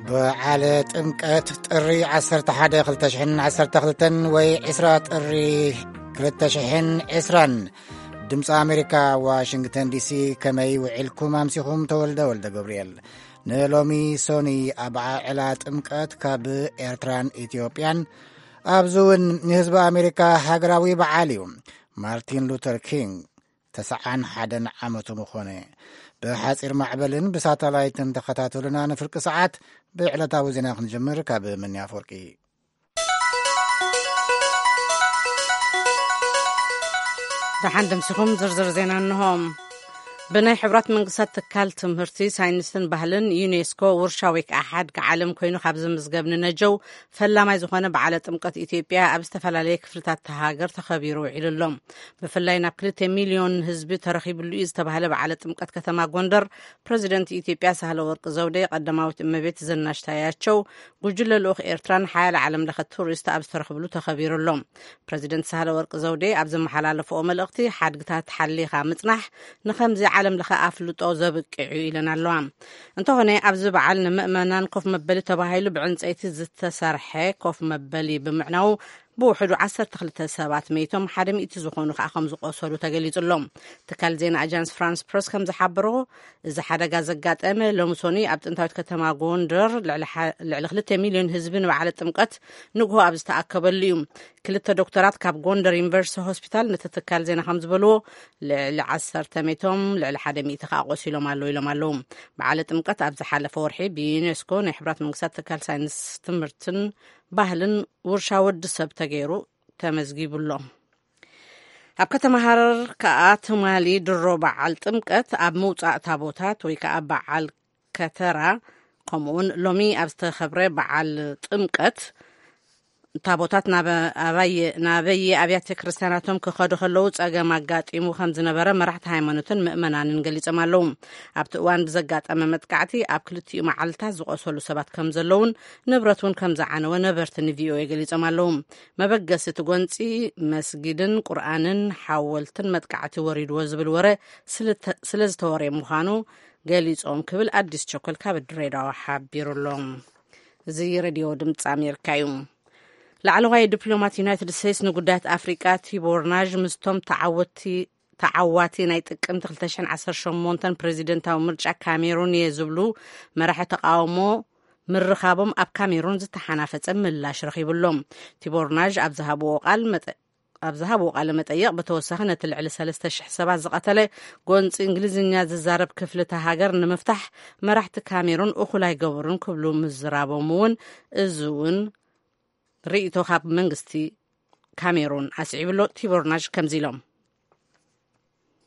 በዓለ ጥምቀት ጥሪ ዓሰርተ ሓደ ክልተ ሽሕን ዓሰርተ ክልተን ወይ ዕስራ ጥሪ ክልተ ሽሕን ዕስራን። ድምፂ ኣሜሪካ፣ ዋሽንግተን ዲሲ። ከመይ ውዒልኩም ኣምሲኹም? ተወልደ ወልደ ገብርኤል። ንሎሚ ሶኒ ኣበዓዕላ ጥምቀት ካብ ኤርትራን ኢትዮጵያን፣ ኣብዚ እውን ንህዝቢ ኣሜሪካ ሃገራዊ በዓል እዩ። ማርቲን ሉተር ኪንግ ተስዓን ሓደን ዓመቱ ምኾነ። ብሓጺር ማዕበልን ብሳተላይትን ተኸታተሉና። ንፍርቂ ሰዓት ብዕለታዊ ዜና ክንጅምር። ካብ መኒ ኣፈወርቂ። ደሓን ደምሲኹም። ዝርዝር ዜና እንሆ። ብናይ ሕቡራት መንግስታት ትካል ትምህርቲ፣ ሳይንስን ባህልን፣ ዩኔስኮ፣ ውርሻ ወይ ከዓ ሓድጊ ዓለም ኮይኑ ካብ ዝምዝገብ ንነጀው ፈላማይ ዝኾነ በዓለ ጥምቀት ኢትዮጵያ ኣብ ዝተፈላለየ ክፍልታት እታ ሃገር ተኸቢሩ ውዒሉ ኣሎ። ብፍላይ ናብ ክልተ ሚልዮን ህዝቢ ተረኺብሉ እዩ ዝተባህለ በዓለ ጥምቀት ከተማ ጎንደር፣ ፕረዚደንት ኢትዮጵያ ሳህለ ወርቅ ዘውዴ፣ ቀዳማዊት እመቤት ዝናሽ ታያቸው፣ ጉጅለ ልኡኽ ኤርትራን ሓያለ ዓለም ለኸ ቱሪስት ኣብ ዝተረኽብሉ ተኸቢሩ ኣሎ። ፕረዚደንት ሳህለ ወርቅ ዘውዴ ኣብ ዘመሓላለፍኦ መልእኽቲ፣ ሓድግታት ሓሊኻ ምጽናሕ ንኸምዚ ዓለም ለኸ ኣፍልጦ ዘብቅዕ እዩ ኢለን ኣለዋ። እንተኾነ ኣብዚ በዓል ንምእመናን ኮፍ መበሊ ተባሂሉ ብዕንፀይቲ ዝተሰርሐ ኮፍ መበሊ ብምዕናው ብውሕዱ ዓሰርተ ክልተ ሰባት መይቶም፣ ሓደ ሚእቲ ዝኾኑ ከዓ ከም ዝቆሰሉ ተገሊጹ ኣሎ። ትካል ዜና ኣጃንስ ፍራንስ ፕረስ ከም ዝሓበሮ፣ እዚ ሓደጋ ዘጋጠመ ሎሚ ሶኒ ኣብ ጥንታዊት ከተማ ጎንደር ልዕሊ ሓ-፣ ልዕሊ ክልተ ሚልዮን ህዝቢ ንበዓለ ጥምቀት ንግሆ ኣብ ዝተኣከበሉ እዩ። ክልተ ዶክተራት ካብ ጎንደር ዩኒቨርሲቲ ሆስፒታል ነቲ ትካል ዜና ከም ዝበልዎ፣ ልዕሊ ዓሰርተ መይቶም፣ ልዕሊ ሓደ ሚእቲ ከዓ ቆሲሎም ኣለዉ ኢሎም ኣለዉ። በዓለ ጥምቀት ኣብ ዝሓለፈ ወርሒ ብዩኔስኮ ናይ ሕቡራት መንግስታት ትካል ሳይንስ ትምህርትን ባህልን ውርሻ ወዲ ሰብ ተገይሩ ተመዝጊቡ ኣሎ። ኣብ ከተማ ሃረር ከኣ ትማሊ ድሮ በዓል ጥምቀት ኣብ ምውጻእ ታቦታት ወይ ከኣ በዓል ከተራ፣ ከምኡውን ሎሚ ኣብ ዝተኸብረ በዓል ጥምቀት ታቦታት ናብ ኣባየ-፣ ናበየ ኣብያተ ክርስቲያናቶም ክኸዱ ከለዉ ጸገም ኣጋጢሙ ከም ዝነበረ መራሕቲ ሃይማኖትን ምእመናንን ገሊጾም ኣለዉ። ኣብቲ እዋን ብዘጋጠመ መጥቃዕቲ ኣብ ክልቲኡ መዓልታት ዝቆሰሉ ሰባት ከም ዘለዉን ንብረት እውን ከም ዝዓነወ ነበርቲ ንቪኦኤ ገሊጾም ኣለዉ። መበገሲ እቲ ጎንጺ መስጊድን ቁርኣንን ሓወልትን መጥቃዕቲ ወሪድዎ ዝብል ወረ ስልተ-፣ ስለ ዝተወረየ ምዃኑ ገሊጾም ክብል ኣዲስ ቸኮል ካብ ድሬዳዋ ሓቢሩ ኣሎ። እዚ ሬድዮ ድምፂ ኣሜሪካ እዩ። ላዕለዋይ ዲፕሎማት ዩናይትድ ስቴትስ ንጉዳያት ኣፍሪቃ ቲቦር ናዥ ምስቶም ተዓወቲ-፣ ተዓዋቲ ናይ ጥቅምቲ ክልተ ሽሕን ዓሰርተ ሸሞንተን ፕሬዚደንታዊ ምርጫ ካሜሩን እየ ዝብሉ መራሒ ተቃውሞ ምርኻቦም ኣብ ካሜሩን ዝተሓናፈጸ ምላሽ ረኺቡ ኣሎ። ቲቦር ናዥ ኣብ ዝሃብዎ ቃል መጠ-፣ ኣብ ዝሃብዎ ቃለ መጠይቕ ብተወሳኺ ነቲ ልዕሊ ሰለስተ ሽሕ ሰባት ዝቐተለ ጎንፂ እንግሊዝኛ ዝዛረብ ክፍሊ እታ ሃገር ንምፍታሕ መራሕቲ ካሜሩን እኹል ኣይገበሩን ክብሉ ምዝራቦም እውን፣ እዚ እውን ርእይቶ ካብ መንግስቲ ካሜሩን ኣስዒቡ ኣሎ። ቲቦር ናዥ ከምዚ ኢሎም።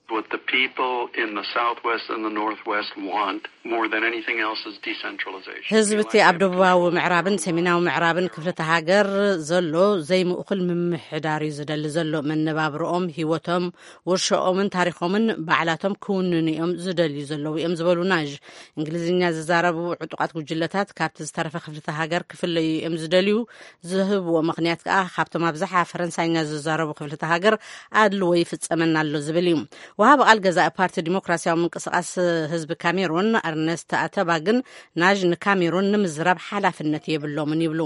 What the people in the Southwest and the Northwest want more than anything else is decentralization. ህዝቢ እቲ ኣብ ደቡባዊ ምዕራብን ሰሜናዊ ምዕራብን ክፍልቲ ሃገር ዘሎ ዘይምእኩል ምምሕዳር እዩ ዝደሊ ዘሎ። መነባብርኦም፣ ህይወቶም፣ ውርሻኦምን ታሪኾምን ባዕላቶም ክውንኑ እዮም ዝደልዩ ዘለዉ እዮም ዝበሉ ናዥ፣ እንግሊዝኛ ዝዛረቡ ዕጡቓት ጉጅለታት ካብቲ ዝተረፈ ክፍልቲ ሃገር ክፍለዩ እዮም ዝደልዩ። ዝህብዎ ምኽንያት ከኣ ካብቶም ኣብዝሓ ፈረንሳይኛ ዝዛረቡ ክፍልቲ ሃገር ኣድልዎ ይፍጸመና ኣሎ ዝብል እዩ። ወሃቢ ቃል ገዛኢ ፓርቲ ዲሞክራሲያዊ ምንቅስቃስ ህዝቢ ካሜሩን ኣርነስት ኣተባ ግን ናዥ ንካሜሩን ንምዝራብ ሓላፍነት የብሎምን ይብሉ።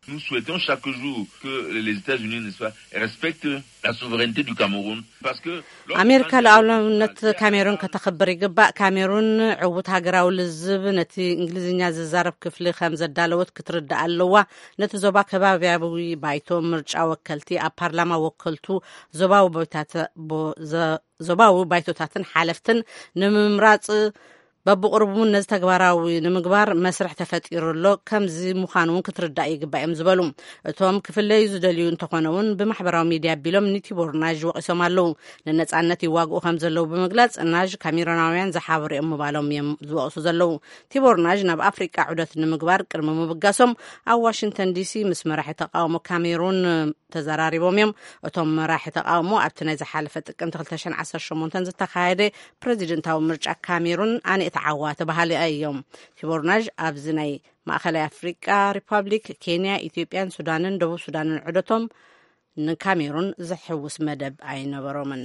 Nous souhaitons chaque jour que les États-Unis, n'est-ce pas, respectent la souveraineté du Cameroun. Parce que lorsque... ኣሜሪካ ሉዓላውነት ካሜሩን ከተኽብር ይግባእ። ካሜሩን ዕዉት ሃገራዊ ልዝብ ነቲ እንግሊዝኛ ዝዛረብ ክፍሊ ከም ዘዳለወት ክትርዳእ ኣለዋ። ነቲ ዞባ ከባብያዊ ባይቶ፣ ምርጫ፣ ወከልቲ ኣብ ፓርላማ፣ ወከልቱ ዞባዊ ቦይታት-፣ ቦ-፣ ዘ-፣ ዞባዊ ባይቶታትን ሓለፍትን ንምምራጽ በብቕርቡ እውን ነዚ ተግባራዊ ንምግባር መስርሕ ተፈጢሩ ኣሎ። ከምዚ ምዃኑ እውን ክትርዳእ ይግባእ እዮም ዝበሉ። እቶም ክፍለዩ ዝደልዩ እንተኾነ እውን ብማሕበራዊ ሚድያ ኣቢሎም ንቲቦር ናዥ ወቒሶም ኣለዉ። ንነጻነት ይዋግኡ ከም ዘለዉ ብምግላጽ ናዥ ካሜሮናውያን ዝሓበሩ እዮም ምባሎም እዮም ዝወቕሱ ዘለዉ። ቲቦር ናዥ ናብ ኣፍሪቃ ዑደት ንምግባር ቅድሚ ምብጋሶም ኣብ ዋሽንግተን ዲሲ ምስ መራሒ ተቃውሞ ካሜሩን ተዘራሪቦም እዮም። እቶም መራሒ ተቃውሞ ኣብቲ ናይ ዝሓለፈ ጥቅምቲ ክልተ ሽሕን ዓሰርተ ሸሞንተን ዝተኻየደ ፕረዚደንታዊ ምርጫ ካሜሩን ኣነ እተዓዋ ተባሃሊ እዮም። ቲቦር ናዥ ኣብዚ ናይ ማእኸላይ ኣፍሪቃ ሪፓብሊክ፣ ኬንያ፣ ኢትዮጵያን ሱዳንን ደቡብ ሱዳንን ዑደቶም ንካሜሩን ዝሕውስ መደብ ኣይነበሮምን።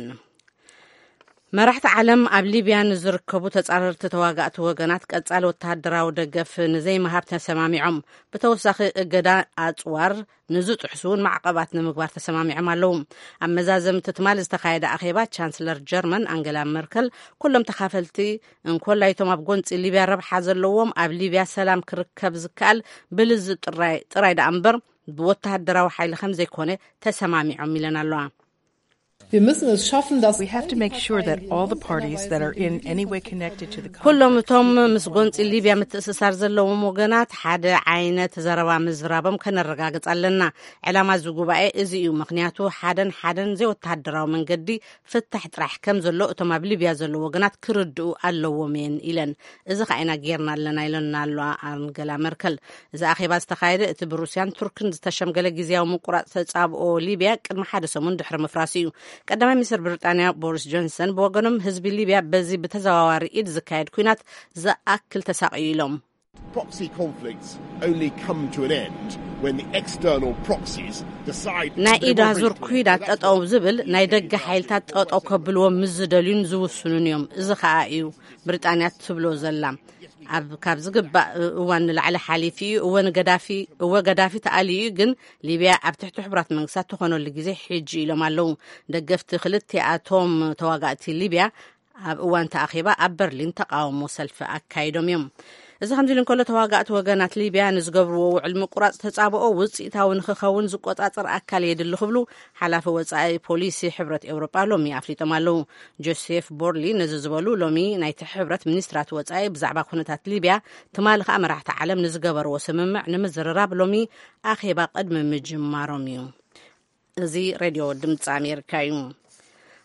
መራሕቲ ዓለም ኣብ ሊብያ ንዝርከቡ ተጻረርቲ ተዋጋእቲ ወገናት ቀጻሊ ወተሃደራዊ ደገፍ ንዘይምሃብ ተሰማሚዖም። ብተወሳኺ እገዳ ኣጽዋር ንዝጥሕሱ እውን ማዕቐባት ንምግባር ተሰማሚዖም ኣለዉ። ኣብ መዛዘምቲ ትማሊ ዝተኻየደ ኣኼባ ቻንስለር ጀርመን ኣንገላ መርከል ኩሎም ተኻፈልቲ እንኮላይቶም ኣብ ጎንጺ ሊብያ ረብሓ ዘለዎም ኣብ ሊብያ ሰላም ክርከብ ዝከኣል ብልዚ ጥራይ ጥራይ ደኣ እምበር ብወተሃደራዊ ሓይሊ ከም ዘይኮነ ተሰማሚዖም ኢለን ኣለዋ። Wir müssen es schaffen, dass We have to make sure that all the parties that are in any way connected to the ኩሎም conflict እቶም ምስ ጎንፂ ሊብያ ምትእስሳር ዘለዎም ወገናት ሓደ ዓይነት ዘረባ ምዝራቦም ከነረጋግፅ ኣለና። ዕላማ እዚ ጉባኤ እዚ እዩ፣ ምክንያቱ ሓደን ሓደን ዘይወተሃደራዊ መንገዲ ፍታሕ ጥራሕ ከም ዘሎ እቶም ኣብ ሊብያ ዘለዉ ወገናት ክርድኡ ኣለዎም እየን ኢለን። እዚ ከዓ ኢና ጌርና ኣለና ኢለና ኣለዋ ኣንገላ መርከል። እዚ ኣኼባ ዝተኻየደ እቲ ብሩስያን ቱርክን ዝተሸምገለ ግዝያዊ ምቁራፅ ተጻብኦ ሊብያ ቅድሚ ሓደ ሰሙን ድሕሪ ምፍራሱ እዩ። ቀዳማይ ሚኒስትር ብሪጣንያ ቦሪስ ጆንሰን ብወገኖም ህዝቢ ሊብያ በዚ ብተዘዋዋሪ ኢድ ዝካየድ ኩናት ዝኣክል ተሳቕዩ ኢሎም። Proxy conflicts only come to an end when the external proxies decide to ናይ ኢድ ኣዙር ኩናት ጠጠው ዝብል ናይ ደገ ሓይልታት ጠጠው ከብልዎ ምስ ዝደልዩን ዝውስኑን እዮም። እዚ ከዓ እዩ ብሪጣንያ ትብሎ ዘላ። ኣብ ካብ ዝግባእ እዋን ንላዕሊ ሓሊፉ እዩ። እወ ንገዳፊ እወ ገዳፊ ተኣልዩ እዩ፣ ግን ሊብያ ኣብ ትሕቲ ሕቡራት መንግስታት ትኾነሉ ግዜ ሕጂ ኢሎም ኣለዉ። ደገፍቲ ክልቲኣቶም ተዋጋእቲ ሊብያ ኣብ እዋን ተኣኺባ ኣብ በርሊን ተቃውሞ ሰልፊ ኣካይዶም እዮም። እዚ ከምዚ ኢሉ እንከሎ ተዋጋእቲ ወገናት ሊብያ ንዝገብርዎ ውዕል ምቁራፅ ተጻብኦ ውፅኢታዊ ንክኸውን ዝቆፃፀር ኣካል የድሊ ክብሉ ሓላፊ ወፃኢ ፖሊሲ ሕብረት ኤውሮጳ ሎሚ ኣፍሊጦም ኣለዉ። ጆሴፍ ቦርሊ ነዚ ዝበሉ ሎሚ ናይቲ ሕብረት ሚኒስትራት ወፃኢ ብዛዕባ ኩነታት ሊብያ ትማሊ ከዓ መራሕቲ ዓለም ንዝገበርዎ ስምምዕ ንምዝርራብ ሎሚ ኣኼባ ቅድሚ ምጅማሮም እዩ። እዚ ሬድዮ ድምፂ ኣሜሪካ እዩ።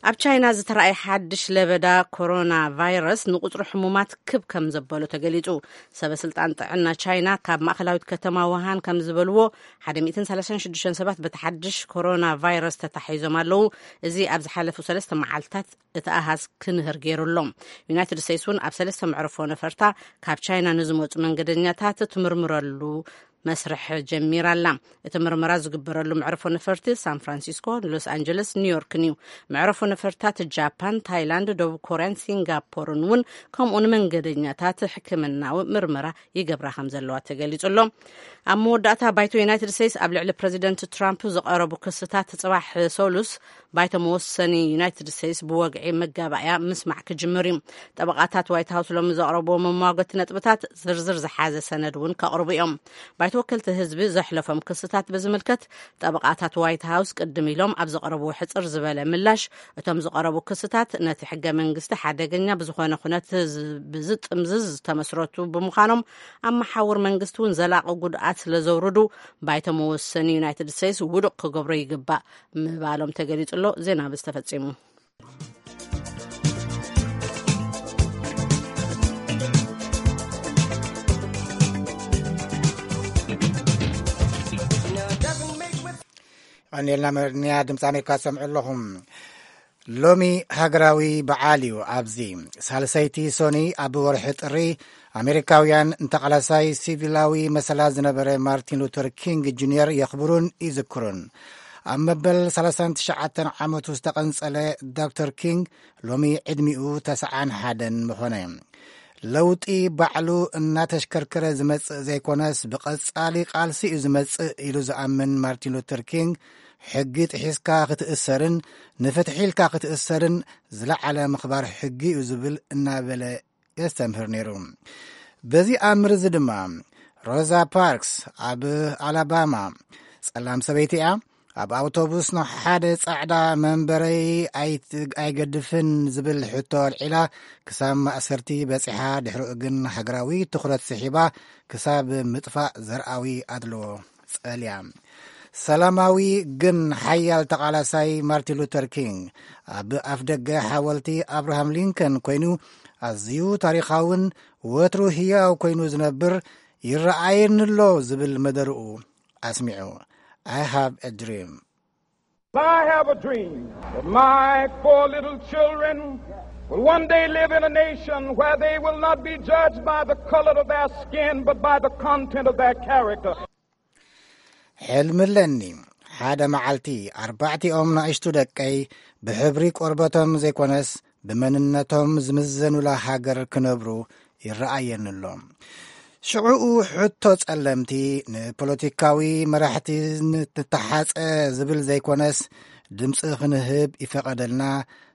ኣብ ቻይና ዝተረኣየ ሓድሽ ለበዳ ኮሮና ቫይረስ ንቁፅሪ ሕሙማት ክብ ከም ዘበሎ ተገሊፁ። ሰበ ስልጣን ጥዕና ቻይና ካብ ማእኸላዊት ከተማ ውሃን ከም ዝበልዎ ሓደ ሚእትን ሰላሳን ሽዱሽተን ሰባት በቲ ሓድሽ ኮሮና ቫይረስ ተታሒዞም ኣለዉ። እዚ ኣብ ዝሓለፉ ሰለስተ መዓልትታት እቲ ኣሃዝ ክንህር ገይሩ ኣሎ። ዩናይትድ ስቴትስ እውን ኣብ ሰለስተ መዕርፎ ነፈርታ ካብ ቻይና ንዝመፁ መንገደኛታት ትምርምረሉ መስርሕ ጀሚራ ኣላ። እቲ ምርመራ ዝግበረሉ መዕርፎ ነፈርቲ ሳን ፍራንሲስኮ፣ ሎስ ኣንጀለስ፣ ኒውዮርክን እዩ። መዕርፎ ነፈርታት ጃፓን፣ ታይላንድ፣ ደቡብ ኮርያን ሲንጋፖርን እውን ከምኡ ንመንገደኛታት ሕክምናዊ ምርመራ ይገብራ ከም ዘለዋ ተገሊጹ ኣሎ። ኣብ መወዳእታ ባይቶ ዩናይትድ ስቴትስ ኣብ ልዕሊ ፕረዚደንት ትራምፕ ዝቐረቡ ክስታት ጽባሕ ሰሉስ ባይቶ መወሰኒ ዩናይትድ ስቴትስ ብወግዒ መጋባእያ ምስማዕ ክጅምር እዩ። ጠበቓታት ዋይት ሃውስ ሎሚ ዘቕረብዎ መሟገቲ ነጥብታት ዝርዝር ዝሓዘ ሰነድ እውን ከቕርቡ እዮም። ባይቶ ወከልቲ ህዝቢ ዘሕለፎም ክስታት ብዝምልከት ጠበቓታት ዋይት ሃውስ ቅድም ኢሎም ኣብ ዘቕረብዎ ሕጽር ዝበለ ምላሽ፣ እቶም ዝቐረቡ ክስታት ነቲ ሕገ መንግስቲ ሓደገኛ ብዝኾነ ኩነት ዝ-፣ ብዝጥምዝዝ ዝተመስረቱ ብምዃኖም ኣብ መሓውር መንግስቲ እውን ዘላቒ ጉድኣት ስለ ዘውርዱ ባይቶ መወሰኒ ዩናይትድ ስቴትስ ውዱቕ ክገብሮ ይግባእ ምባሎም ተገሊጹ ኣሎ። ዜና ብዝተፈጺሙ። ቀኒልና መድንያ ድምፂ ኣሜሪካ ዝሰምዑ ኣለኹም። ሎሚ ሃገራዊ በዓል እዩ። ኣብዚ ሳልሰይቲ ሶኒ ኣብ ወርሒ ጥሪ ኣሜሪካውያን ንተቓላሳይ ሲቪላዊ መሰላት ዝነበረ ማርቲን ሉተር ኪንግ ጁኒየር የኽብሩን ይዝክሩን። ኣብ መበል ሰላሳን ትሽዓተን ዓመቱ ዝተቐንጸለ ዶክተር ኪንግ ሎሚ ዕድሚኡ ተስዓን ሓደን ምኾነ። ለውጢ ባዕሉ እናተሽከርከረ ዝመጽእ ዘይኮነስ ብቐጻሊ ቃልሲ እዩ ዝመጽእ ኢሉ ዝኣምን ማርቲን ሉተር ኪንግ፣ ሕጊ ጥሒስካ ክትእሰርን ንፍትሒ ኢልካ ክትእሰርን ዝለዓለ ምኽባር ሕጊ እዩ ዝብል እናበለ የስተምህር ነይሩ። በዚ ኣምር እዚ ድማ ሮዛ ፓርክስ ኣብ ኣላባማ ጸላም ሰበይቲ እያ። ኣብ ኣውቶቡስ ንሓደ ጻዕዳ መንበረይ ኣይት-፣ ኣይገድፍን ዝብል ሕቶ ኣልዒላ ክሳብ ማእሰርቲ በጺሓ። ድሕሪኡ ግን ሃገራዊ ትኹረት ስሒባ ክሳብ ምጥፋእ ዘርኣዊ ኣድልዎ ጸልያ። ሰላማዊ ግን ሓያል ተቓላሳይ ማርቲን ሉተር ኪንግ ኣብ ኣፍ ደገ ሓወልቲ ኣብርሃም ሊንከን ኮይኑ ኣዝዩ ታሪኻውን ወትሩ ህያው ኮይኑ ዝነብር ይረኣየኒ ኣሎ ዝብል መደርኡ ኣስሚዑ። I have a dream. I have a dream that my four little children will one day live in a nation where they will not be judged by the color of their skin, but by the content of their character. ሕልሚ ኣለኒ፣ ሓደ መዓልቲ ኣርባዕቲኦም ናእሽቱ ደቀይ ብሕብሪ ቆርበቶም ዘይኮነስ ብመንነቶም ዝምዘኑላ ሃገር ክነብሩ ይረኣየኒ ኣሎ። ሽዑኡ ሕቶ ጸለምቲ ንፖለቲካዊ መራሕቲ ንተሓጸ ዝብል ዘይኮነስ፣ ድምፂ ክንህብ ይፈቐደልና፣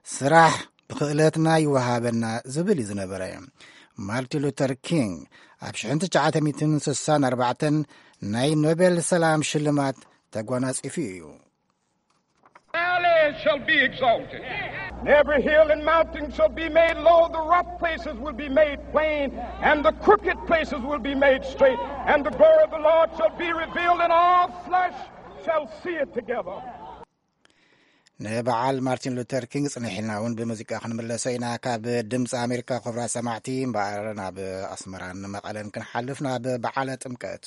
ስራሕ ብክእለትና ይወሃበና ዝብል እዩ ዝነበረ። ማርቲን ሉተር ኪንግ ኣብ ሽሕን ትሽዓተ ሚእትን ስሳን ኣርባዕተን ናይ ኖቤል ሰላም ሽልማት ተጓናጺፉ እዩ። Valley shall be exalted, and every hill and mountain shall be made low. The rough places will be made plain, and the crooked places will be made straight. And the glory of the Lord shall be revealed, and all flesh shall see it together. ንበዓል ማርቲን ሉተር ኪንግ ጽንሕ ኢልና እውን ብሙዚቃ ክንምለሶ ኢና። ካብ ድምፂ ኣሜሪካ ክቡራት ሰማዕቲ እምበኣር ናብ ኣስመራን መቐለን ክንሓልፍ ናብ በዓለ ጥምቀት።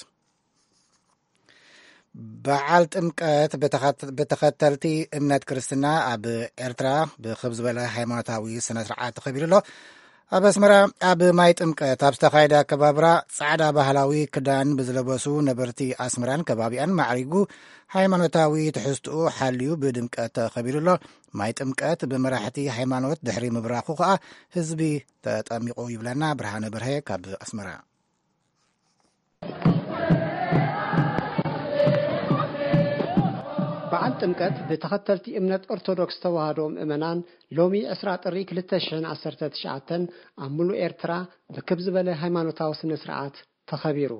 በዓል ጥምቀት ብተኸተልቲ እምነት ክርስትና ኣብ ኤርትራ ብክብ ዝበለ ሃይማኖታዊ ስነ ስርዓት ተኸቢሩ ኣሎ። ኣብ ኣስመራ ኣብ ማይ ጥምቀት ኣብ ዝተኻየደ ኣከባብራ ጻዕዳ ባህላዊ ክዳን ብዝለበሱ ነበርቲ ኣስመራን ከባቢኣን ማዕሪጉ ሃይማኖታዊ ትሕዝትኡ ሓልዩ ብድምቀት ተኸቢሩ ኣሎ። ማይ ጥምቀት ብመራሕቲ ሃይማኖት ድሕሪ ምብራኹ ከኣ ህዝቢ ተጠሚቑ ይብለና ብርሃነ በርሀ ካብ ኣስመራ። በዓል ጥምቀት ብተኸተልቲ እምነት ኦርቶዶክስ ተዋህዶ ምእመናን ሎሚ ዕስራ ጥሪ ክልተ ሽሕን ዓሰርተ ትሽዓተን ኣብ ሙሉእ ኤርትራ ብክብ ዝበለ ሃይማኖታዊ ስነ ስርዓት ተኸቢሩ።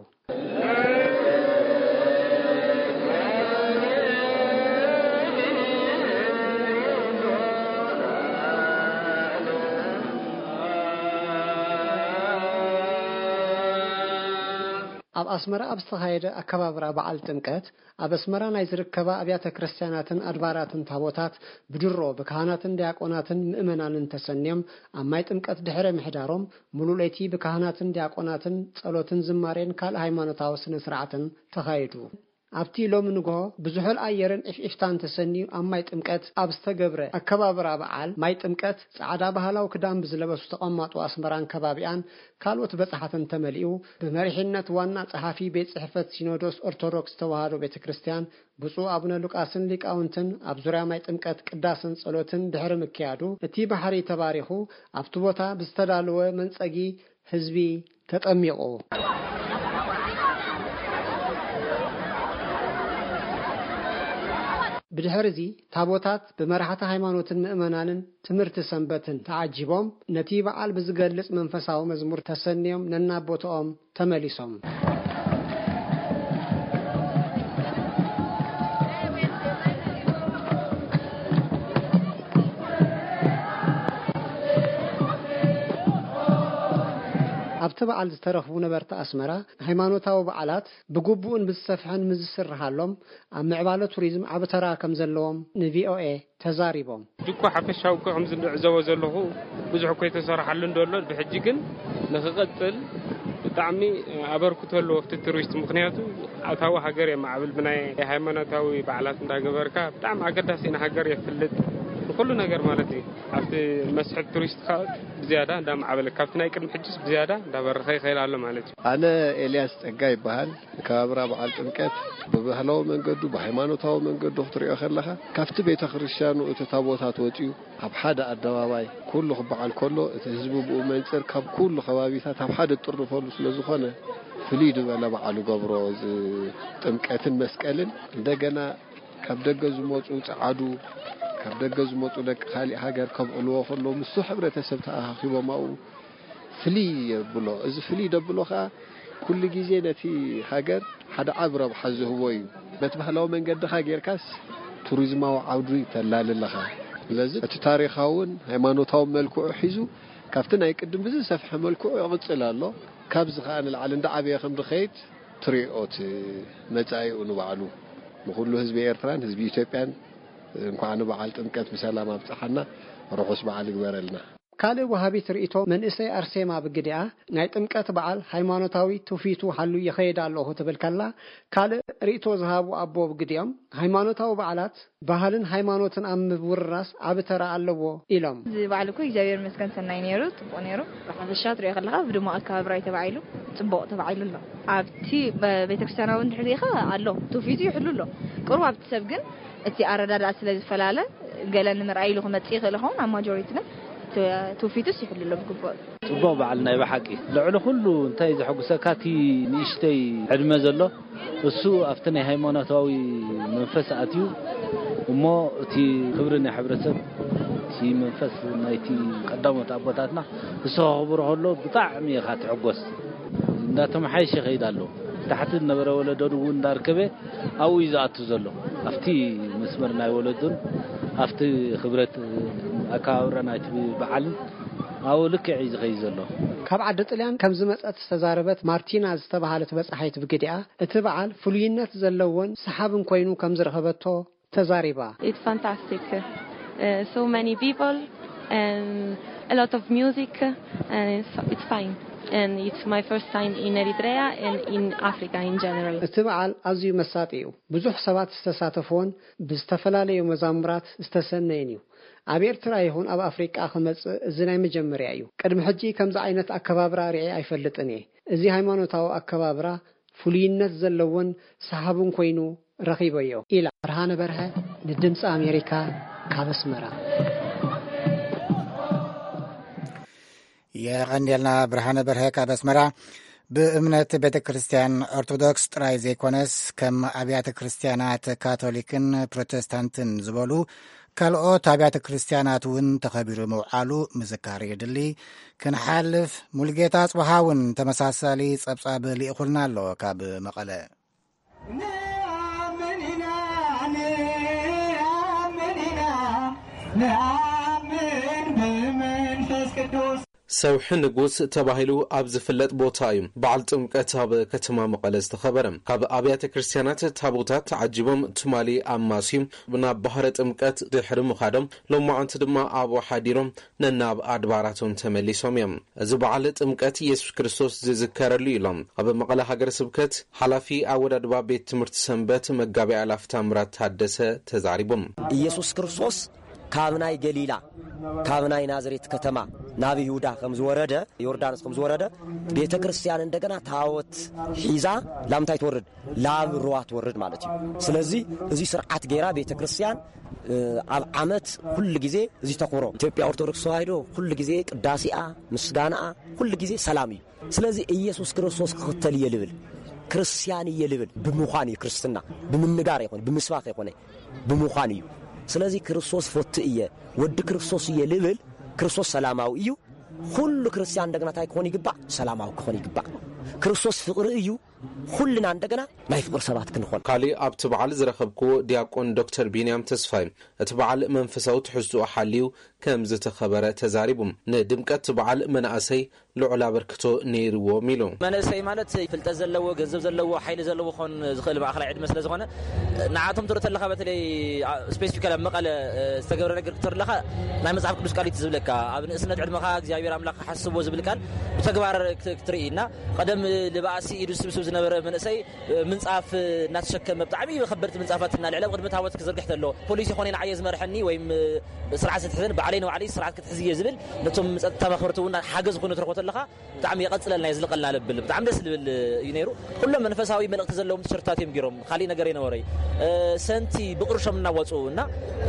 ኣብ ኣስመራ ኣብ ዝተኻየደ ኣከባብራ በዓል ጥምቀት ኣብ ኣስመራ ናይ ዝርከባ ኣብያተ ክርስትያናትን ኣድባራትን ታቦታት ብድሮ ብካህናትን ዲያቆናትን ምእመናንን ተሰንዮም ኣብ ማይ ጥምቀት ድሕሪ ምሕዳሮም ሙሉእ ለይቲ ብካህናትን ዲያቆናትን ጸሎትን ዝማሬን ካልእ ሃይማኖታዊ ስነ ስርዓትን ተኻይዱ። ኣብቲ ሎሚ ንግሆ ብዝሑል ኣየርን ዒፍዒፍታን ተሰንዩ ኣብ ማይ ጥምቀት ኣብ ዝተገብረ ኣከባብራ በዓል ማይ ጥምቀት ጻዕዳ ባህላዊ ክዳን ብዝለበሱ ተቐማጦ ኣስመራን ከባቢኣን ካልኦት በጻሕትን ተመሊኡ ብመሪሕነት ዋና ጸሓፊ ቤት ጽሕፈት ሲኖዶስ ኦርቶዶክስ ተዋህዶ ቤተ ክርስቲያን ብፁዕ ኣቡነ ሉቃስን ሊቃውንትን ኣብ ዙርያ ማይ ጥምቀት ቅዳሰን ጸሎትን ድሕሪ ምክያዱ እቲ ባሕሪ ተባሪኹ ኣብቲ ቦታ ብዝተዳለወ መንጸጊ ህዝቢ ተጠሚቑ። ብድሕርዚ ታቦታት ብመራሕቲ ሃይማኖትን ምእመናንን ትምህርቲ ሰንበትን ተዓጂቦም ነቲ በዓል ብዝገልጽ መንፈሳዊ መዝሙር ተሰንዮም ነናብ ቦትኦም ተመሊሶም። ኣብቲ በዓል ዝተረኽቡ ነበርቲ ኣስመራ ሃይማኖታዊ በዓላት ብግቡእን ብዝሰፍሐን ምዝስርሃሎም ኣብ ምዕባለ ቱሪዝም ዓቢ ተራ ከም ዘለዎም ንቪኦኤ ተዛሪቦም። ድኳ ሓፈሻዊ እኮ ከምዚ ዝዕዘቦ ዘለኹ ብዙሕ እኮ የተሰርሓሉ እንደሎ ብሕጂ ግን ንክቐጽል ብጣዕሚ ኣበርክቶ ኣለዎ ኣብቲ ቱሪስት ምክንያቱ ኣታዊ ሃገር የማዕብል ብናይ ሃይማኖታዊ በዓላት እንዳገበርካ ብጣዕሚ ኣገዳሲ ንሃገር የፍልጥ ንኩሉ ነገር ማለት እዩ ኣብቲ መስሕብ ቱሪስት ከዓ ብዝያዳ እንዳማዕበለ ካብቲ ናይ ቅድሚ ሕጅስ ብዝያዳ እንዳበረኸ ይኸይል ኣሎ ማለት እዩ። ኣነ ኤልያስ ጸጋ ይበሃል። ከባብራ በዓል ጥምቀት ብባህላዊ መንገዱ ብሃይማኖታዊ መንገዱ ክትሪኦ ከለኻ ካብቲ ቤተ ክርስቲያኑ እቲ ታቦታት ወፂኡ ኣብ ሓደ ኣደባባይ ኩሉ ክበዓል ከሎ እቲ ህዝቢ ብኡ መንፅር ካብ ኩሉ ከባቢታት ኣብ ሓደ ጥርንፈሉ ስለ ዝኾነ ፍልይ ዝበለ በዓል ይገብሮ እዚ ጥምቀትን መስቀልን እንደገና ካብ ደገ ዝመፁ ፀዓዱ ካብ ደገ ዝመፁ ደቂ ካሊእ ሃገር ከብዕልዎ ከለዉ ምስቱ ሕብረተሰብ ተኣኻኺቦም ኣብኡ ፍልይ የብሎ። እዚ ፍልይ ደብሎ ከኣ ኩሉ ግዜ ነቲ ሃገር ሓደ ዓቢ ረብሓ ዝህቦ እዩ። በቲ ባህላዊ መንገድኻ ጌርካስ ቱሪዝማዊ ዓውዲ ተላሊ ኣለኻ። ስለዚ እቲ ታሪኻውን ሃይማኖታውን መልክዑ ሒዙ ካብቲ ናይ ቅድም ብዝሰፍሐ መልክዑ ይቕጽል ኣሎ። ካብዚ ከኣ ንላዕሊ እንዳዓበየ ከም ዝኸይድ ትሪኦ እቲ መጻኢኡ ንባዕሉ ንኹሉ ህዝቢ ኤርትራን ህዝቢ ኢትዮጵያን እንኳዕ ንበዓል ጥምቀት ብሰላም ኣብጽሓና። ርሑስ በዓል ይግበረልና። ካልእ ወሃቢት ርእይቶ መንእሰይ ኣርሴማ ብግዲኣ፣ ናይ ጥምቀት በዓል ሃይማኖታዊ ትውፊቱ ሓልዩ ይኸይድ ኣለኹ ትብል ከላ፣ ካልእ ርእይቶ ዝሃቡ ኣቦ ብግዲኦም፣ ሃይማኖታዊ በዓላት ባህልን ሃይማኖትን ኣብ ምውርራስ ዓቢ ተራ ኣለዎ ኢሎም። እዚ በዓል እኮ እግዚኣብሔር ይመስገን ሰናይ ነይሩ፣ ጽቡቕ ነይሩ። ብሓፈሻ ትሪኦ ከለኻ ብድሙቕ ኣከባብራ እዩ ተባዒሉ፣ ጽቡቕ ተባዒሉ ኣሎ። ኣብቲ ቤተክርስትያናዊ እንድሕር ሪኢኻ ኣሎ፣ ትውፊቱ ይሕሉ ኣሎ። ቁሩብ ኣብቲ ሰብ ግን እቲ ኣረዳድኣ ስለ ዝፈላለ ገለ ንምርኣይ ኢሉ ክመጽእ ይኽእል ይኸውን፣ ኣብ ማጆሪቲ ግን ትውፊትስ ይሕልሎ ብግቡእ። ጽቡቕ በዓል ናይ ብሓቂ። ልዕሊ ኩሉ እንታይ ዘሐጉሰካ፣ እቲ ንእሽተይ ዕድመ ዘሎ እሱ ኣብቲ ናይ ሃይማኖታዊ መንፈስ ኣትዩ እሞ እቲ ክብሪ ናይ ሕብረተሰብ፣ እቲ መንፈስ ናይቲ ቀዳሞት ኣቦታትና እሱ ከኽብሮ ከሎ ብጣዕሚ ኢኻ ትሕጎስ። እንዳተመሓየሸ ይኸይድ ኣሎ። ታሕቲ ዝነበረ ወለዶ እውን እንዳርከበ ኣብኡ እዩ ዝኣቱ ዘሎ። ኣብቲ መስመር ናይ ወለዱን ኣብቲ ክብረት ኣከባብራ ናይቲ በዓልን ኣብኡ ልክዕ እዩ ዝኸይድ ዘሎ። ካብ ዓዲ ጥልያን ከም ዝመጸት ዝተዛረበት ማርቲና ዝተባሃለት በጻሓይት ብግዲኣ፣ እቲ በዓል ፍሉይነት ዘለዎን ሰሓብን ኮይኑ ከም ዝረኸበቶ ተዛሪባ። It's fantastic. Uh, so many people and a lot of music, and it's, it's fine. And it's my first time in Eritrea and in Africa in general. እቲ በዓል ኣዝዩ መሳጢ እዩ። ብዙሕ ሰባት ዝተሳተፍዎን ብዝተፈላለዩ መዛሙራት ዝተሰነየን እዩ። ኣብ ኤርትራ ይኹን ኣብ ኣፍሪቃ ክመጽእ እዚ ናይ መጀመርያ እዩ። ቅድሚ ሕጂ ከምዚ ዓይነት ኣከባብራ ርኤ ኣይፈልጥን እየ። እዚ ሃይማኖታዊ ኣከባብራ ፍሉይነት ዘለዎን ሰሓብን ኮይኑ ረኺበዮ ኢላ። ብርሃነ በርሀ ንድምፂ ኣሜሪካ ካብ ኣስመራ። የቐንየልና ብርሃነ በርሀ ካብ ኣስመራ። ብእምነት ቤተ ክርስቲያን ኦርቶዶክስ ጥራይ ዘይኮነስ ከም ኣብያተ ክርስቲያናት ካቶሊክን ፕሮቴስታንትን ዝበሉ ካልኦት ኣብያተ ክርስቲያናት እውን ተኸቢሩ ምውዓሉ ምዝካር የድሊ። ክንሓልፍ ሙልጌታ ኣጽብሃ እውን ተመሳሳሊ ጸብጻብ ልኢኹልና ኣሎ ካብ መቐለ። ንኣምን ኢና ንኣምን ኢና ንኣምን ብመንፈስ ቅዱስ። ሰውሒ ንጉስ ተባሂሉ ኣብ ዝፍለጥ ቦታ እዩ በዓል ጥምቀት ኣብ ከተማ መቐለ ዝተኸበረ። ካብ ኣብያተ ክርስቲያናት ታቦታት ተዓጂቦም ትማሊ ኣማስዩ ናብ ባህረ ጥምቀት ድሕሪ ምኻዶም ሎማዓንቲ ድማ ኣብኡ ሓዲሮም ነናብ ኣድባራቶም ተመሊሶም እዮም። እዚ በዓል ጥምቀት ኢየሱስ ክርስቶስ ዝዝከረሉ እዩ ኢሎም ኣብ መቐለ ሃገረ ስብከት ሓላፊ ኣወዳድባ ቤት ትምህርቲ ሰንበት መጋቢ ኣእላፍ ታምራት ታደሰ ተዛሪቦም። ኢየሱስ ክርስቶስ ካብ ናይ ገሊላ ካብ ናይ ናዝሬት ከተማ ናብ ይሁዳ ከም ዝወረደ ዮርዳኖስ ከም ዝወረደ ቤተ ክርስቲያን እንደገና ታቦት ሒዛ ላምታይ ትወርድ ላብ ሩዋ ትወርድ ማለት እዩ። ስለዚ እዚ ስርዓት ገይራ ቤተ ክርስቲያን ኣብ ዓመት ኩሉ ግዜ እዚ ተኽብሮ ኢትዮጵያ ኦርቶዶክስ ተዋህዶ ኩሉ ግዜ ቅዳሴኣ ምስጋናኣ ኩሉ ግዜ ሰላም እዩ። ስለዚ ኢየሱስ ክርስቶስ ክኽተል እየ ልብል ክርስቲያን እየ ልብል ብምዃን እዩ ክርስትና ብምንጋር ይኾነ ብምስባኽ ይኾነ ብምዃን እዩ። ስለዚ ክርስቶስ ፈቱ እየ ወዲ ክርስቶስ እየ ልብል ክርስቶስ ሰላማዊ እዩ። ኩሉ ክርስቲያን እንደገና እንታይ ክኾን ይግባእ? ሰላማዊ ክኾን ይግባእ። ክርስቶስ ፍቕሪ እዩ። ኩልና እንደገና ናይ ፍቕሪ ሰባት ክንኾን። ካሊእ ኣብቲ በዓል ዝረኸብክዎ ዲያቆን ዶክተር ቢንያም ተስፋይ እቲ በዓል መንፈሳዊ ትሕዝትኡ ሓልዩ ከም ዝተኸበረ ተዛሪቡ። ንድምቀት በዓል መናእሰይ ልዑል ኣበርክቶ ነይርዎም ኢሉ። መንእሰይ ማለት ፍልጠት ዘለዎ፣ ገንዘብ ዘለዎ፣ ሓይሊ ዘለዎ ክኾን ዝኽእል ማእኸላይ ዕድመ ስለ ዝኾነ ንዓቶም ትርኢ ተለኻ በተለይ ስፔሲፊካሊ ኣብ መቐለ ዝተገብረ ነገር ክትርኢ ተለኻ ናይ መጽሓፍ ቅዱስ ቃል እዩ ዝብለካ። ኣብ ንእስነት ዕድመኻ እግዚኣብሔር ኣምላኽ ሓስቦ ዝብል ቃል ብተግባር ክትርኢ እና ቀደም ልባእሲ ኢዱ ስብስብ ዝነበረ መንእሰይ ምንጻፍ እናተሸከመ ብጣዕሚ ከበድቲ ምንጻፋት እናልዕለ ኣብ ቅድሚ ታቦት ክዝርግሕ ተሎ ፖሊስ ይኾነ ንዓየ ዝመርሐኒ ወይም ስርዓት ዝትሕዘን ባዕለይ ንባዕለይ ስርዓት ክትሕዝ እየ ዝብል ነቶም ጸጥታ መኽበርቲ እውን ሓገዝ ኮይኑ ትረኽቦ ተለኻ ብጣዕሚ የቐጽለልና የዝልቐልና ልብል ብጣዕሚ ደስ ዝብል እዩ ነይሩ። ኩሎም መንፈሳዊ መልእኽቲ ዘለዎም ቲሸርትታት እዮም ገይሮም። ካሊእ ነገር የነበረይ ሰንቲ ብቕርሾም እናወፁ እና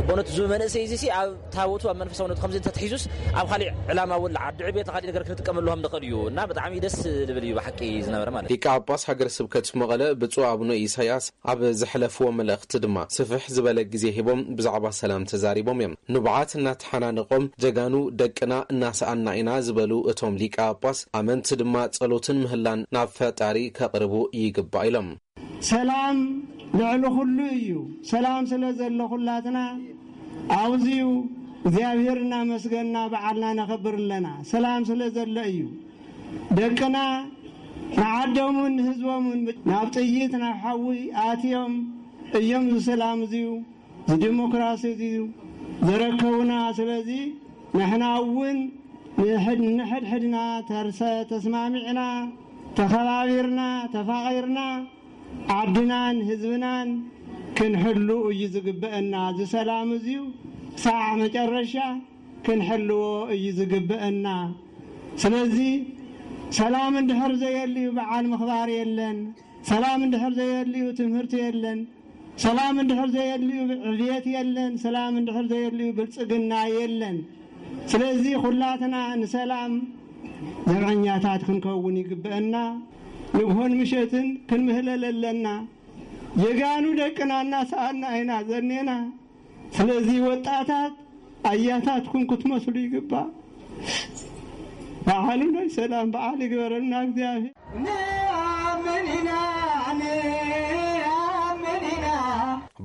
በእውነት እዚ መንእሰይ እዚ ሲ ኣብ ታቦቱ ኣብ መንፈሳውነቱ ከምዚ እንተትሒዙስ ኣብ ካሊእ ዕላማ እውን ዓዲ ዕቤት ካሊእ ነገር ክንጥቀመሉ ከም ንኽእል እዩ እና ብጣዕሚ ደስ ዝብል እዩ ብሓቂ ዝነበረ ማለት። ሊቀ ጳጳስ ሃገረ ስብከት መቐለ ብፁዕ ኣቡነ ኢሳያስ ኣብ ዘሕለፍዎ መልእኽቲ ድማ ስፍሕ ዝበለ ግዜ ሂቦም ብዛዕባ ሰላም ተዛሪቦም እዮም። ንብዓት እናተሓናነቖም ጀጋኑ ደቅና እናሰኣና ኢና ዝበሉ እቶም ሊቀ ጳጳስ ኣመንቲ ድማ ጸሎትን ምህላን ናብ ፈጣሪ ከቕርቡ ይግባእ ኢሎም። ሰላም ልዕሊ ኩሉ እዩ። ሰላም ስለ ዘሎ ኩላትና ኣብዚዩ እግዚኣብሔር እናመስገንና በዓልና ነኸብር ኣለና። ሰላም ስለ ዘሎ እዩ። ደቅና ንዓዶምን ንህዝቦምን ናብ ጥይት ናብ ሓዊ ኣትዮም እዮም ዝሰላም እዚዩ ዝዲሞክራሲ እዚዩ ዘረከቡና። ስለዚ ንሕና እውን ንሕድሕድና ተርሰ ተስማሚዕና ተኸባቢርና ተፋቒርና ዓድናን ህዝብናን ክንሕሉ እዩ ዝግበአና። እዚ ሰላም እዚዩ ክሳዕ መጨረሻ ክንሕልዎ እዩ ዝግበአና። ስለዚ ሰላም እንድሕር ዘየልዩ በዓል ምኽባር የለን። ሰላም እንድሕር ዘየልዩ ትምህርቲ የለን። ሰላም እንድሕር ዘየልዩ ዕብየት የለን። ሰላም እንድሕር ዘየልዩ ብልጽግና የለን። ስለዚ ኩላትና ንሰላም ዘብዐኛታት ክንከውን ይግበአና። ንግሆን ምሸትን ክንምህለል ኣለና። ጀጋኑ ደቅና እናሰኣና ኢና ዘኔና። ስለዚ ወጣታት ኣያታትኩም ክትመስሉ ይግባእ። በዓሉ ናይ ሰላም በዓል ይግበረልና እግዚኣብሔር። ንኣምን ኢና፣ ንኣምን ኢና።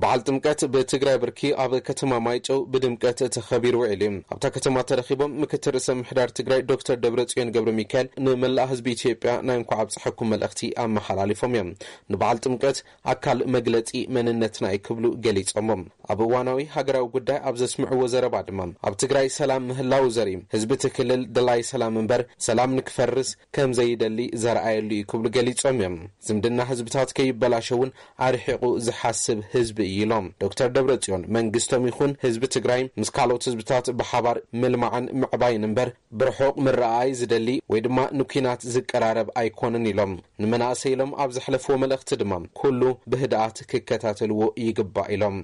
በዓል ጥምቀት ብትግራይ ብርኪ ኣብ ከተማ ማይጨው ብድምቀት ተኸቢሩ ውዒሉ እዩ። ኣብታ ከተማ ተረኺቦም ምክትል ርእሰ ምምሕዳር ትግራይ ዶክተር ደብረጽዮን ገብረ ሚካኤል ንመላእ ህዝቢ ኢትዮጵያ ናይ እንኳዕ ኣብፀሐኩም መልእኽቲ ኣመሓላሊፎም እዮም። ንበዓል ጥምቀት ኣካል መግለፂ መንነትና እዩ ክብሉ ገሊፆሞ። ኣብ እዋናዊ ሃገራዊ ጉዳይ ኣብ ዘስምዕዎ ዘረባ ድማ ኣብ ትግራይ ሰላም ምህላው ዘርኢ፣ ህዝቢ እቲ ክልል ደላይ ሰላም እምበር ሰላም ንክፈርስ ከም ዘይደሊ ዘርኣየሉ እዩ ክብሉ ገሊፆም እዮም። ዝምድና ህዝብታት ከይበላሸ እውን ኣርሒቑ ዝሓስብ ህዝቢ እዩ ኢሎም። ዶክተር ደብረጽዮን መንግስቶም ይኹን ህዝቢ ትግራይ ምስ ካልኦት ህዝብታት ብሓባር ምልማዕን ምዕባይን እምበር ብርሑቕ ምረኣይ ዝደሊ ወይ ድማ ንኲናት ዝቀራረብ ኣይኮነን ኢሎም። ንመናእሰይ ኢሎም ኣብ ዘሕለፍዎ መልእኽቲ ድማ ኩሉ ብህድኣት ክከታተልዎ ይግባእ ኢሎም።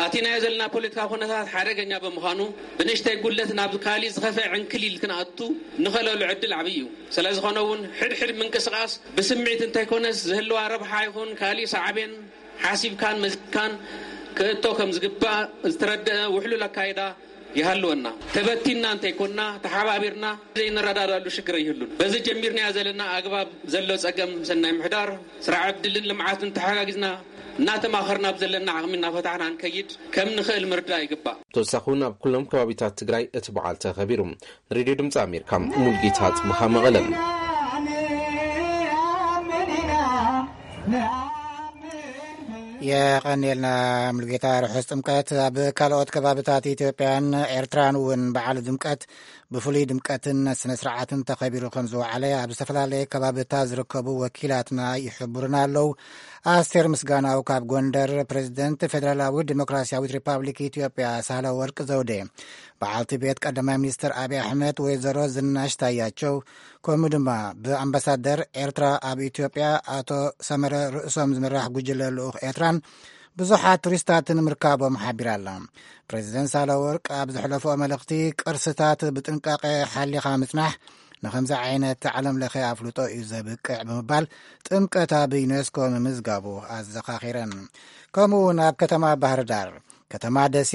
ኣቲናዮ ዘለና ፖለቲካ ኩነታት ሓደገኛ ብምዃኑ ብንእሽተይ ጉድለት ናብ ካሊእ ዝኸፍአ ዕንክሊል ክንኣቱ ንኽእለሉ ዕድል ዓብዪ እዩ። ስለ ዝኾነ እውን ሕድሕድ ምንቅስቓስ ብስምዒት እንተይኮነስ ዝህልዋ ረብሓ ይኹን ካሊእ ሳዕቤን ሓሲብካን መዚንካን ክእቶ ከም ዝግባእ ዝተረድአ ውሕሉል ኣካይዳ ይሃልወና። ተበቲንና እንተይኮንና፣ ተሓባቢርና ዘይንረዳዳሉ ሽግር ኣይህሉን። በዚ ጀሚርናዮ ዘለና ኣግባብ ዘሎ ጸገም ሰናይ ምሕዳር፣ ስራሕ ዕድልን ልምዓትን ተሓጋጊዝና እናተማኸርና ኣብ ዘለና ዓቕሚ እናፈታሕና ንከይድ ከም ንኽእል ምርዳእ ይግባእ። ተወሳኺ እውን ኣብ ኩሎም ከባቢታት ትግራይ እቲ በዓል ተኸቢሩ። ንሬድዮ ድምፂ ኣሜሪካ ሙልጌታ ጽብሃ መቐለ። የቐንየልና ሙሉጌታ። ርሑስ ጥምቀት። ኣብ ካልኦት ከባብታት ኢትዮጵያን ኤርትራን እውን በዓል ድምቀት ብፍሉይ ድምቀትን ስነ ስርዓትን ተኸቢሩ ከም ዝወዓለ ኣብ ዝተፈላለየ ከባብታት ዝርከቡ ወኪላትና ይሕብሩና ኣለዉ። ኣስቴር ምስጋናው ካብ ጎንደር። ፕሬዚደንት ፌዴራላዊ ዲሞክራሲያዊት ሪፓብሊክ ኢትዮጵያ ሳህለ ወርቅ ዘውዴ፣ በዓልቲ ቤት ቀዳማይ ሚኒስትር ኣብይ ኣሕመድ ወይዘሮ ዝናሽ ታያቸው፣ ከምኡ ድማ ብኣምባሳደር ኤርትራ ኣብ ኢትዮጵያ ኣቶ ሰመረ ርእሶም ዝምራሕ ጉጅለ ልኡኽ ኤርትራን ብዙሓት ቱሪስታትን ምርካቦም ሓቢራ ኣላ። ፕሬዚደንት ሳህለወርቅ ኣብ ዘሕለፍኦ መልእኽቲ፣ ቅርስታት ብጥንቃቄ ሓሊኻ ምጽናሕ ንኸምዚ ዓይነት ዓለም ለኸ ኣፍልጦ እዩ ዘብቅዕ ብምባል ጥምቀት ኣብ ዩኔስኮ ምምዝጋቡ ኣዘኻኺረን። ከምኡ እውን ኣብ ከተማ ባህር ዳር፣ ከተማ ደሴ፣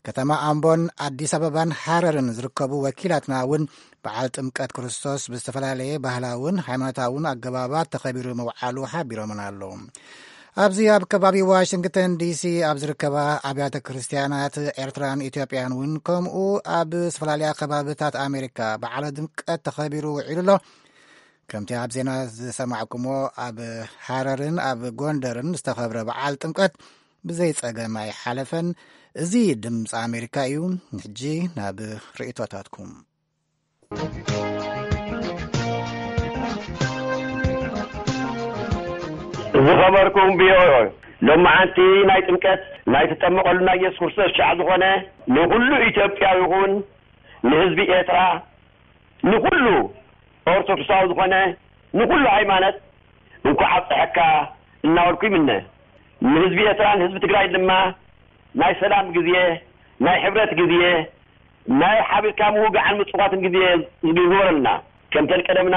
ከተማ ኣምቦን ኣዲስ ኣበባን ሃረርን ዝርከቡ ወኪላትና እውን በዓል ጥምቀት ክርስቶስ ብዝተፈላለየ ባህላውን ሃይማኖታውን ኣገባባት ተኸቢሩ ምውዓሉ ሓቢሮምን ኣለዉ። ኣብዚ ኣብ ከባቢ ዋሽንግተን ዲሲ ኣብ ዝርከባ ኣብያተ ክርስቲያናት ኤርትራን ኢትዮጵያን እውን ከምኡ ኣብ ዝተፈላለያ ከባብታት ኣሜሪካ በዓለ ድምቀት ተኸቢሩ ውዒሉ ኣሎ። ከምቲ ኣብ ዜና ዝሰማዕኩሞ ኣብ ሃረርን ኣብ ጎንደርን ዝተኸብረ በዓል ጥምቀት ብዘይ ጸገም ኣይሓለፈን። እዚ ድምፂ ኣሜሪካ እዩ። ሕጂ ናብ ርእይቶታትኩም። ዝኸበርኩም ቪኦኤ፣ ሎማዓንቲ ናይ ጥምቀት ናይ ትጠመቐሉ ናይ የሱስ ክርስቶስ ሻዕ ዝኾነ ንኹሉ ኢትዮጵያዊ ይኹን ንህዝቢ ኤርትራ፣ ንኹሉ ኦርቶዶክሳዊ ዝኾነ፣ ንኹሉ ሃይማኖት እንኳዕ ኣብፀሐካ እናበልኩ ይምነ። ንህዝቢ ኤርትራን ህዝቢ ትግራይ ድማ ናይ ሰላም ግዜ፣ ናይ ሕብረት ግዜ፣ ናይ ሓቢርካ ምውጋዕን ምጽዋትን ግዜ ይግበረልና። ከምተን ቀደምና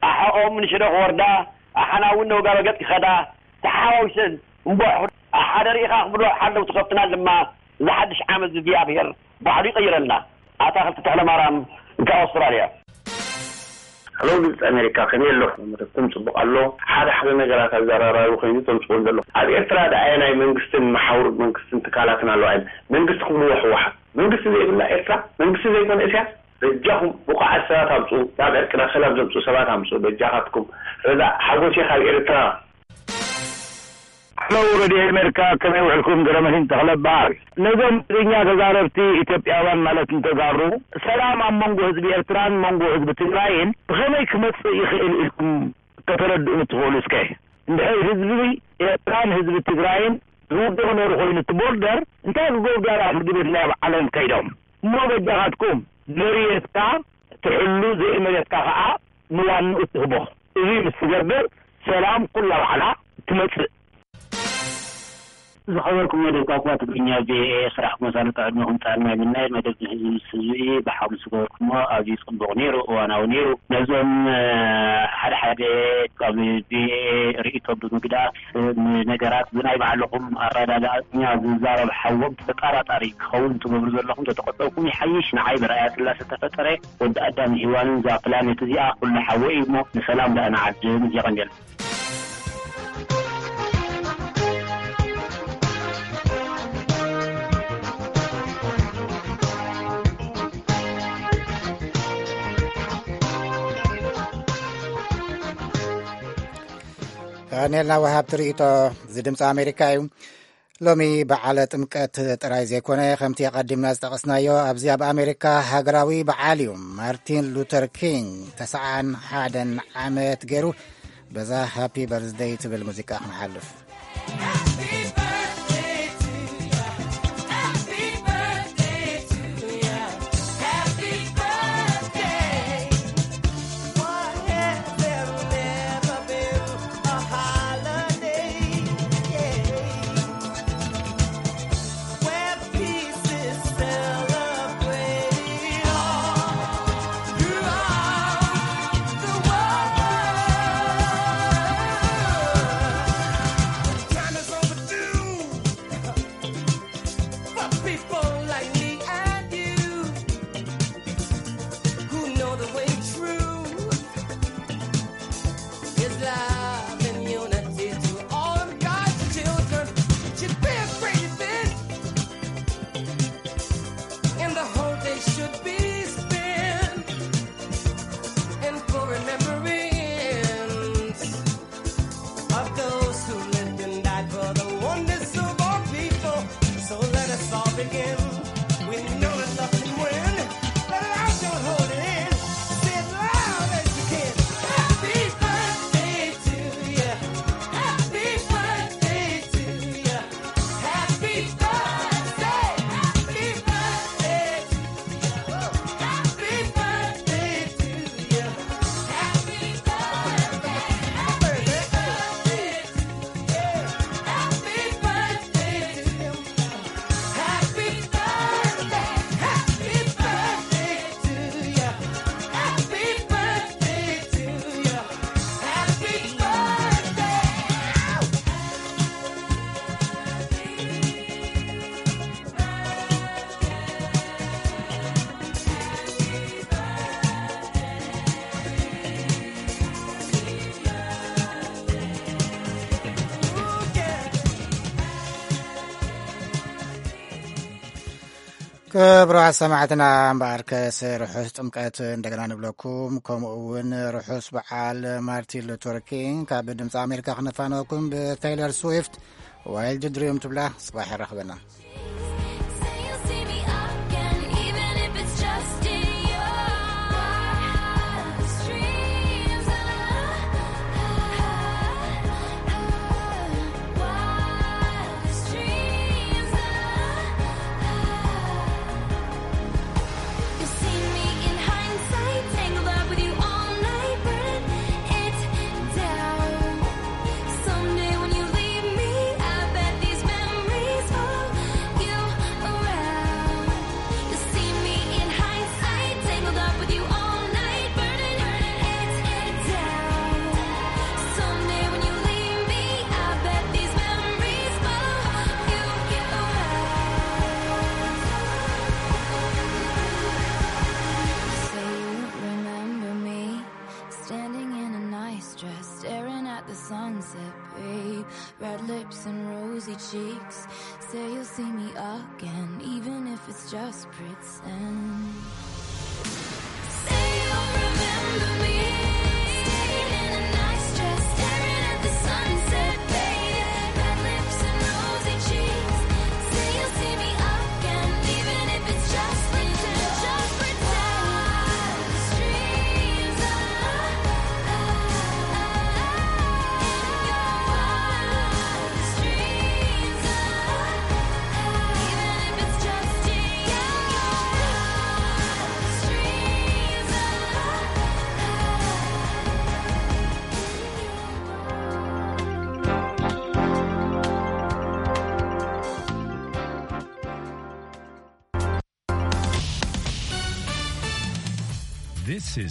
ኣሓኦም ንሽረ ክወርዳ፣ ኣሓና እውን ነውጋ በገጽ ክኸዳ፣ ተሓዋዊሰን እምቦሕ ሓደ ርኢኻ ክብሎ ሓለው ትኸፍትናን ድማ፣ እዚ ሓድሽ ዓመት እዚ እግዚኣብሔር ባዕሉ ይቐይረልና። ኣታኽልቲ ተኽለማርያም፣ ካብ ኣውስትራልያ። ሄሎ፣ ድምፂ ኣሜሪካ፣ ከመይ ኣለኹም? መደብኩም ጽቡቕ ኣሎ። ሓደ ሓደ ነገራት ኣዘራራቢ ኮይኑ ተምጽኡ ዘሎ። ኣብ ኤርትራ ደኣ ናይ መንግስትን መሓውር መንግስትን ትካላትን ኣለዋ። መንግስቲ ክብልዎ ህወሓት። መንግስቲ ዘይብላ ኤርትራ፣ መንግስቲ ዘይኮነ እስያስ፣ በጃኹም ብቑዓት ሰባት ኣምጽኡ፣ ናብ ዕርቂ ናብ ሰላም ዘምጽኡ ሰባት ኣምጽኡ፣ በጃኻትኩም። ረዛ ሓጎሴ ካብ ኤርትራ። ሄሎ፣ ሬድዮ ኣሜሪካ፣ ከመይ ውዕልኩም? ገረመሲን ተኽለ በሃል። ነዞም ትግርኛ ተዛረብቲ ኢትዮጵያውያን ማለት ንተጋሩ፣ ሰላም ኣብ መንጎ ህዝቢ ኤርትራን መንጎ ህዝቢ ትግራይን ብኸመይ ክመጽእ ይኽእል ኢልኩም ከተረድኡኒ ትኽእሉ እስከ? እንድሕር ህዝቢ ኤርትራን ህዝቢ ትግራይን ዝውድቕ ነሩ ኮይኑ፣ እቲ ቦርደር እንታይ ክገብሩ ዳራ ፍርዲ ቤት ናይ ኣብ ዓለም ከይዶም? እሞ በጃኻትኩም፣ መሬትካ ትሕሉ፣ ዘይመሬትካ ኸዓ ንዋንኡ ትህቦ። እዚ ምስ ትገብር፣ ሰላም ኩላ ባዕላ ትመጽእ። ዝኸበርኩም መደብ ቋንቋ ትግርኛ ቪኦኤ፣ ስራሕ መሳለጥ ዕድመኹም ጥዕና ይምነ። መደብ ንህዝቢ ምስ ህዝቢ እዩ። ብሓሙስ ዝገበርኩሞ ኣዝዩ ጽቡቕ ነይሩ፣ እዋናዊ ነይሩ። ነዞም ሓደ ሓደ ካብ ቪኦኤ ርእይቶ ብምግዳፍ ንነገራት ብናይ ባዕልኹም ኣረዳዳእኛ ዝዛረብ ሓዎም ተጠራጣሪ ክኸውን ትገብሩ ዘለኹም ተተቆጠብኩም ይሓይሽ። ንዓይ ብርኣያ ስላሰ ተፈጠረ ወዲ ኣዳም ሂዋንን እዛ ፕላኔት እዚኣ ኩሉ ሓወ እዩ እሞ ንሰላም ደኣ ንዓድም። እዚኣ ቀንጀል። ቀኒልና ወሃብቲ ርእይቶ፣ እዚ ድምፂ ኣሜሪካ እዩ። ሎሚ በዓለ ጥምቀት ጥራይ ዘይኮነ፣ ከምቲ ኣቐዲምና ዝጠቐስናዮ፣ ኣብዚ ኣብ ኣሜሪካ ሃገራዊ በዓል እዩ። ማርቲን ሉተር ኪንግ ተስዓን ሓደን ዓመት ገይሩ፣ በዛ ሃፒ በርዝደይ ትብል ሙዚቃ ክንሓልፍ። ክብራት ሰማዕትና፣ እምበኣርከስ ርሑስ ጥምቀት እንደገና ንብለኩም፣ ከምኡ እውን ርሑስ በዓል ማርቲን ሉተር ኪንግ። ካብ ድምፂ ኣሜሪካ ክነፋነወኩም ብቴይለር ስዊፍት ዋይልድ ድሪም ትብላ። ጽባሕ ይራኽበና።